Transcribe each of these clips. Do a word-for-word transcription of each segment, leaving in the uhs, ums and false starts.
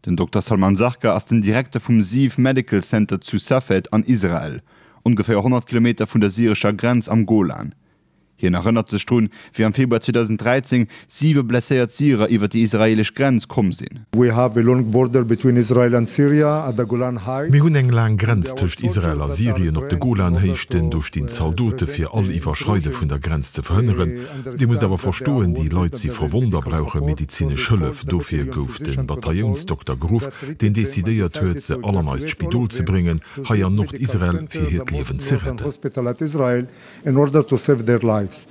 Den Dokter Salman Zarka ass den Direkter vum Ziv Medical Center zu Safed an Israel, ongeféier honnert Kilometer vun der syrescher Grenz am Golan. Hien erënnert sech drun, wéi am Februar zweedausendräizéng siwe blesséiert Syrer iwwer déi israeelesch Grenz komm sinn. Mir hunn eng laang Grenz tëscht Israel a Syrien op de Golanhéichten. Do stinn Zaldote fir all Iwwerschreide vun der Grenz ze verhënneren. Dir musst awer verstoen, déi Leit si verwonnt a brauche medezinesch Hëllef. Dofir gouf de Bataillounsdokter geruff, deen decidéiert huet, se all an eist Spidol ze bréngen, hei an Nordisrael, fir hiert Liewen ze retten.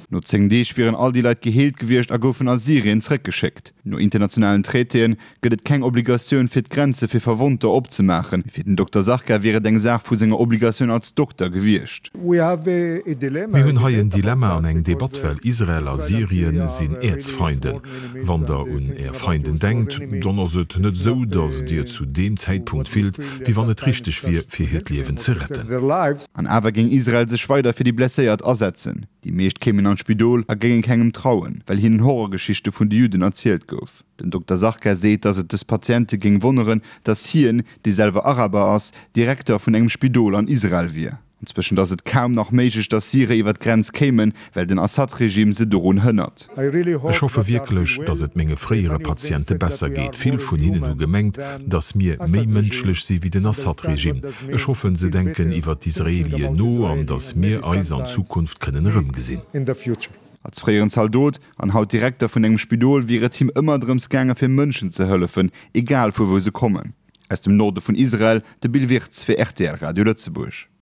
No zéng Deeg wieren all déi Leit geheelt gewiescht a goufen a Syrien zeréckgeschéckt. No internationalen Traitéen gëtt et keng Obligatioun fir d'Grenze fir Verwonnter opzemaachen. Mee fir den Dokter Zarka wier et eng Saach vu senger Obligatioun als Dokter gewiescht. Mir hunn hei en Dilemma an eng Debatt, well Israel a Syrien sinn Äerzfeinden. Wann der un Är Feinden denkt, dann ass et net esou, datt Dir zu deem Zäitpunkt fillt, wéi wann et richteg wier, fir hiert Liewen ze retten. An awer géing Israel sech weider fir déi Blesséiert asetzen. Déi meescht kéimen an d'Spidol a géinge kengem trauen, well hinnen Horrorgeschichte vun de Judden erzielt gouf. Den Dokter Zarka seet, datt et dës Patiente géing wonneren, datt hien, dee selwer Araber ass, Direkter vun engem Spidol an Israel wier. Anzwëschent ass et kaum nach méiglech, datt Syrer iwwer d'Grenz kéimen, well den Assad-Regime se dorun hënnert. Ech hoffe wierklech, datt et menge fréiere Patiente besser geet. Vill vun hinnen hu gemengt, datt mir méi mënschlech si wéi den Assad-Regime. Ech hoffen, se denken iwwer d'Israelien no an datt mir eis an Zukunft kënnen erëmgesinn. Als fréieren Zaldot an haut Direkter vun engem Spidol wier et him ëmmer drëms gaange fir Mënschen ze hëllefen, egal vu wou se kommen. Aus dem Norde vun Israel, de Bill Wirtz fir rtl Radio Lëtzebuerg.